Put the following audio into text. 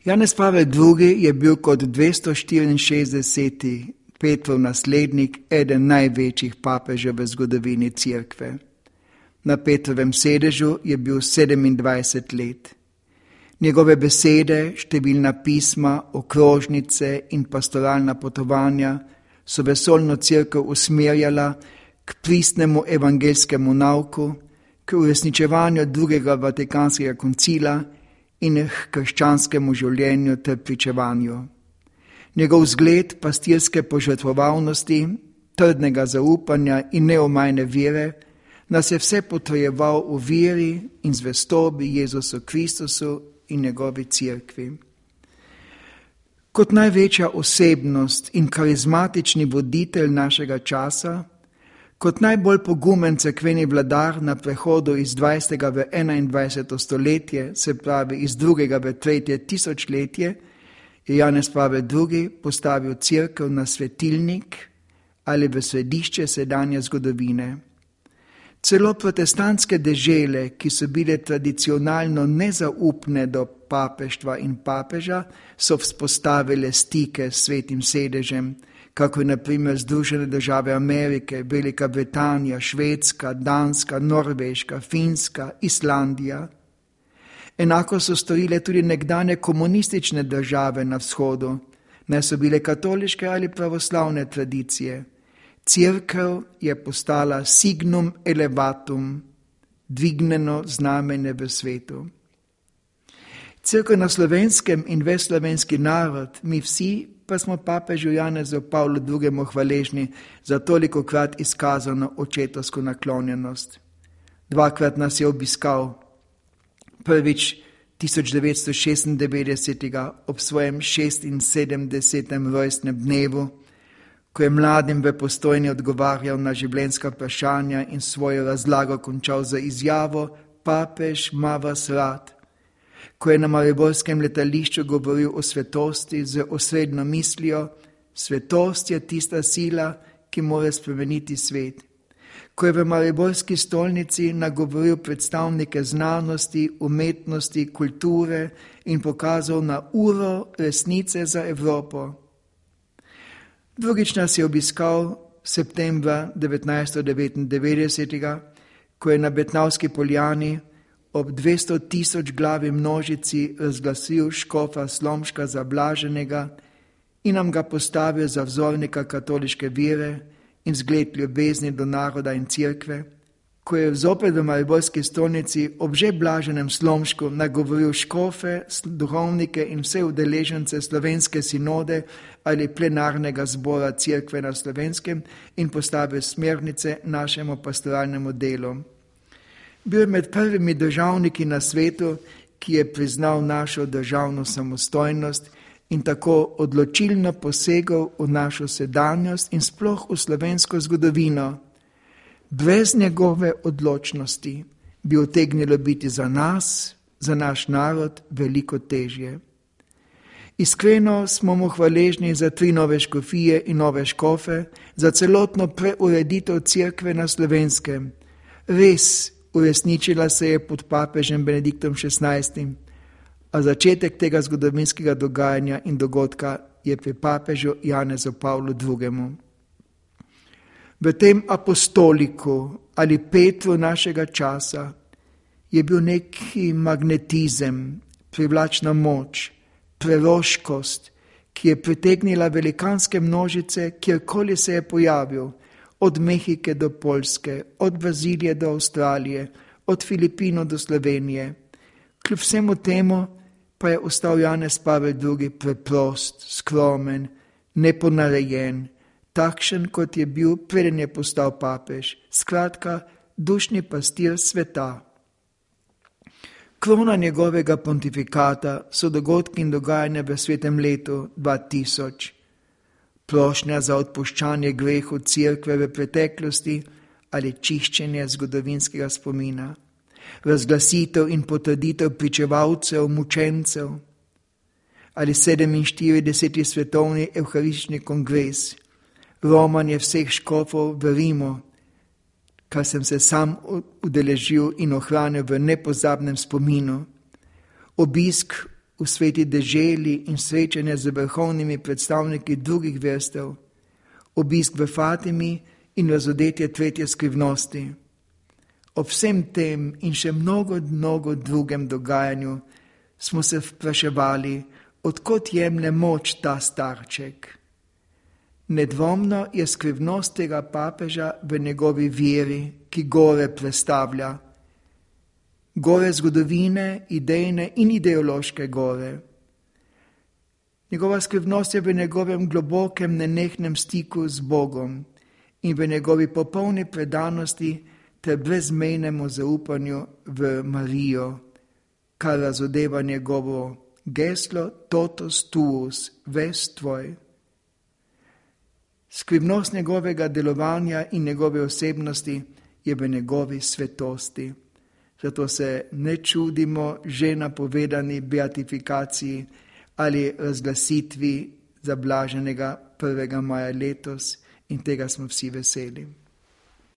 Janez Pavel II. Je bil kot 264. Petrov naslednik eden največjih papežev v zgodovini Cerkve. Na Petrovem sedežu je bil 27 let. Njegove besede, številna pisma, okrožnice in pastoralna potovanja so vesoljno cerkev usmerjala k pristnemu evangeljskemu nauku, k uresničevanju drugega Vatikanskega koncila in k krščanskemu življenju ter pričevanju. Njegov zgled pastirske požrtvovalnosti, trdnega zaupanja in neomajne vere nas je vse potrjeval v veri in zvestobi Jezusu Kristusu in njegovi cerkvi. Kot največja osebnost in karizmatični voditelj našega časa, kot najbolj pogumen cerkveni vladar na prehodu iz 20. v 21. stoletje, se pravi iz 2. v 3. tisočletje, je Janez Pavel II. Postavil cerkev na svetilnik ali v središče sedanje zgodovine. Celo protestantske dežele, ki so bile tradicionalno nezaupne do papeštva in papeža, so vzpostavile stike s svetim sedežem, kako na primer Združene države Amerike, Velika Britanija, Švedska, Danska, Norveška, Finska, Islandija. Enako so storile tudi nekdanje komunistične države na vzhodu, naj so bile katoliške ali pravoslavne tradicije. Cerkev je postala signum elevatum, dvignjeno znamenje v svetu. Cerkev na Slovenskem in ves slovenski narod, mi vsi pa smo papežu Janezu Pavlu II. Hvaležni za tolikokrat izkazano očetovsko naklonjenost. 2-krat nas je obiskal. Prvič 1996. ob svojem 76. rojstnem dnevu, ko je mladim v Postojni odgovarjal na življenjska vprašanja in svojo razlago končal za izjavo: Papež ima vas rad. Ko je na mariborskem letališču govoril o svetosti z osrednjo mislijo: svetost je tista sila, ki mora spremeniti svet. Ko je v mariborski stolnici nagovoril predstavnike znanosti, umetnosti, kulture in pokazal na uro resnice za Evropo. Drugič nas je obiskal septembra 1999, ko je na Betnavski poljani ob 200 000 glavi množici razglasil škofa Slomška za blaženega in nam ga postavil za vzornika katoliške vere in zgled ljubezni do naroda in cerkve, ko je zopet v mariborski stolnici ob že blaženem Slomšku nagovoril škofe, duhovnike in vse udeležence slovenske sinode ali plenarnega zbora cerkve na Slovenskem in postavil smernice našemu pastoralnemu delu. Bil je med prvimi državniki na svetu, ki je priznal našo državno samostojnost in tako odločilno posegal v našo sedanjost in sploh v slovensko zgodovino. Brez njegove odločnosti bi utegnilo biti za nas, za naš narod, veliko težje. Iskreno smo mu hvaležni za 3 nove škofije in nove škofe, za celotno preureditev cerkve na Slovenskem. Res, uresničila se je pod papežem Benediktom XVI, a začetek tega zgodovinskega dogajanja in dogodka je pri papežu Janezu Pavlu II. V tem apostoliku ali Petru našega časa je bil neki magnetizem, privlačna moč, preroškost, ki je pritegnila velikanske množice, kjerkoli se je pojavil, od Mehike do Poljske, od Brazilije do Avstralije, od Filipinov do Slovenije. Kljub vsemu temu pa je ostal Janez Pavel II. Preprost, skromen, neponarejen, takšen, kot je bil, preden je postal papež, skratka, dušni pastir sveta. Krona njegovega pontifikata so dogodki in dogajanja v svetem letu 2000, prošnja za odpuščanje grehu cerkve v preteklosti ali čiščenje zgodovinskega spomina, razglasitev in potrditev pričevalcev, mučencev ali 47. svetovni evharistični kongres, romanje vseh škofov v Rimu, kar sem se sam udeležil in ohranil v nepozabnem spominu, obisk v sveti deželi in srečanja z vrhovnimi predstavniki drugih verstev, obisk v Fatimi in razodetje tretje skrivnosti. Ob vsem tem in še mnogo drugem dogajanju smo se vpraševali, odkot jemlje moč ta starček. Nedvomno je skrivnost tega papeža v njegovi veri, ki gore prestavlja. Gore zgodovine, idejne in ideološke gore. Njegova skrivnost je v njegovem globokem, nenehnem stiku z Bogom in v njegovi popolni predanosti ter brezmejnemu zaupanju v Marijo, kar razodeva njegovo geslo totus tuus, ves tvoj. Skrivnost njegovega delovanja in njegove osebnosti je v njegovi svetosti. Zato se ne čudimo že napovedani beatifikaciji ali razglasitvi zablaženega 1. maja letos in tega smo vsi veseli.